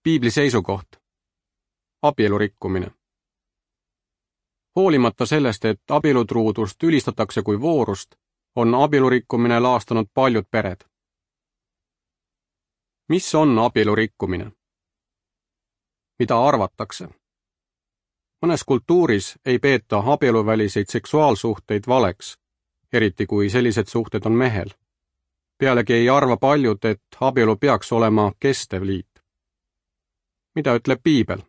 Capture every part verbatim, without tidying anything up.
Piibli seisukoht. Abielu rikkumine. Hoolimata sellest, et abielutruudust ülistatakse kui voorust, on abielu rikkumine laastanud paljud pered. Mis on abielu rikkumine? Mida arvatakse? Mõnes kultuuris ei peeta abieluväliseid seksuaalsuhteid valeks, eriti kui sellised suhted on mehel. Pealegi ei arva paljud, et abielu peaks olema kestev liit. Mida ütleb Piibel?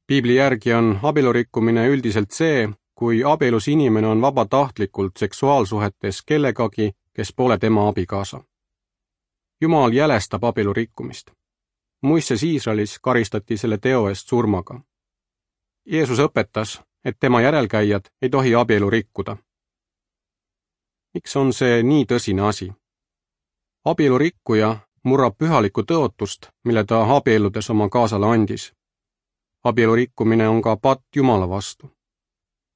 Piibli järgi on abielu rikkumine üldiselt see, kui abielus inimene on vabatahtlikult seksuaalsuhetes kellegagi, kes pole tema abikaasa. Jumal jälestab abielu rikkumist. Moises Iisraelis karistati selle teo eest surmaga. Jeesus õpetas, et tema järelkäijad ei tohi abielu rikkuda. Miks on see nii tõsine asi? Abielu rikkuja murrab pühalikku tõotust, mille ta abielludes oma kaasale andis. Abielu rikkumine on ka patt Jumala vastu.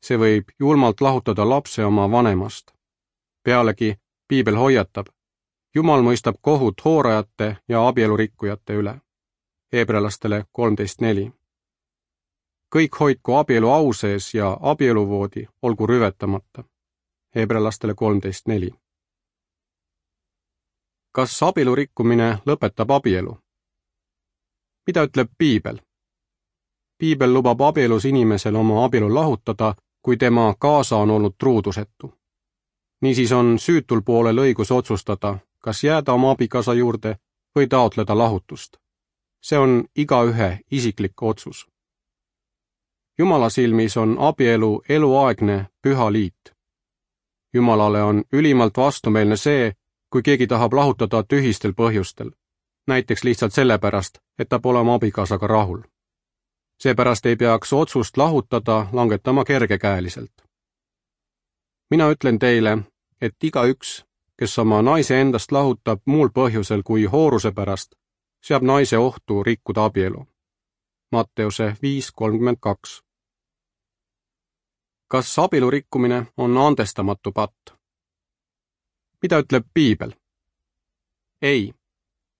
See võib julmalt lahutada lapse oma vanemast. Pealegi Piibel hoiatab, Jumal mõistab kohut hoorajate ja abielu rikkujate üle. Hebralastele kolmteist neli. Kõik hoidku abielu au sees ja abieluvoodi olgu rüvetamata. Hebralastele kolmteist neli. Kas abielu rikkumine lõpetab abielu? Mida ütleb Piibel? Piibel lubab abielus inimesel oma abielu lahutada, kui tema kaasa on olnud truudusetu. Niisiis on süütul poolel õigus otsustada, kas jääda oma abikaasa juurde või taotleda lahutust. See on igaühe isiklik otsus. Jumala silmis on abielu eluaegne püha liit. Jumalale on ülimalt vastumeelne see, kui keegi tahab lahutada tühistel põhjustel, näiteks lihtsalt sellepärast, et ta pole oma abikaasaga rahul. Seepärast ei peaks otsust lahutada langetama kergekäeliselt. Mina ütlen teile, et igaüks, kes oma naise endast lahutab muul põhjusel kui hooruse pärast, seab naise ohtu rikkuda abielu. Matteuse viis kolmkümmend kaks. Kas abielu rikkumine on andestamatu patt? Mida ütleb Piibel? Ei.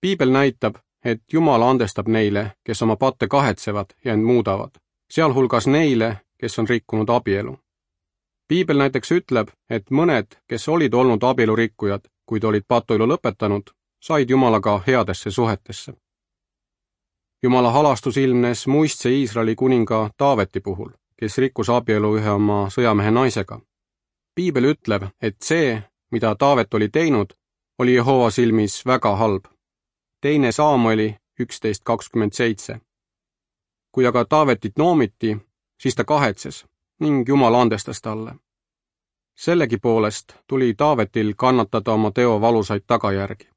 Piibel näitab, et Jumal andestab neile, kes oma patte kahetsevad ja end muudavad, sealhulgas neile, kes on rikkunud abielu. Piibel näiteks ütleb, et mõned, kes olid olnud abielu rikkujad, kuid olid patuilu lõpetanud, said Jumalaga headesse suhetesse. Jumala halastus ilmnes muistse Iisraeli kuninga Taaveti puhul, kes rikkus abielu ühe oma sõjamehe naisega. Piibel ütleb, et see, mida Taavet oli teinud, oli Jehova silmis väga halb. Teine Saamueli üksteist kakskümmend seitse. Kui aga Taavetit noomiti, siis ta kahetses ning Jumal andestas talle. Sellegipoolest tuli Taavetil kannatada oma teo valusaid tagajärgi.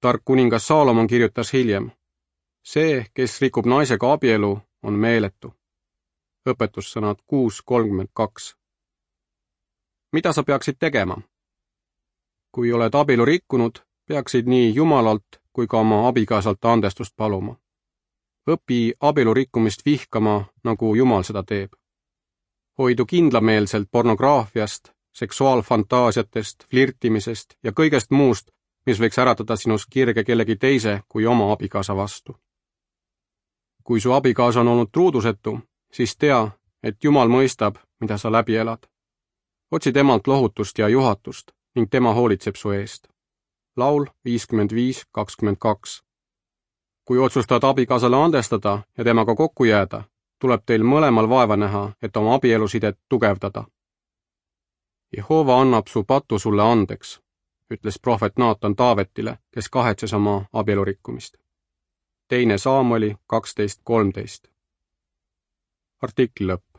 Tark kuningas Saalomon kirjutas hiljem, see, kes rikub naisega abielu, on meeletu. Õpetussõnad kuus kolmkümmend kaks. Mida sa peaksid tegema? Kui oled abielu rikkunud, peaksid nii Jumalalt kui ka oma abikaasalt andestust paluma. Õpi abielu rikkumist vihkama, nagu Jumal seda teeb. Hoidu kindlameelselt pornograafiast, seksuaalfantaasiatest, flirtimisest ja kõigest muust, mis võiks äratada sinus kirge kellegi teise kui oma abikaasa vastu. Kui su abikaasa on olnud truudusetu, siis tea, et Jumal mõistab, mida sa läbi elad. Otsi temalt lohutust ja juhatust ning tema hoolitseb su eest. Laul viiskümmend viis kakskümmend kaks. Kui otsustad abikaasale andestada ja temaga kokku jääda, tuleb teil mõlemal vaeva näha, et oma abielusidet tugevdada. Jehova annab su patu sulle andeks, ütles prohvet Naatan Taavetile, kes kahetses oma abielu rikkumist. Teine Saamueli kaksteist kolmteist. Artikli lõpp.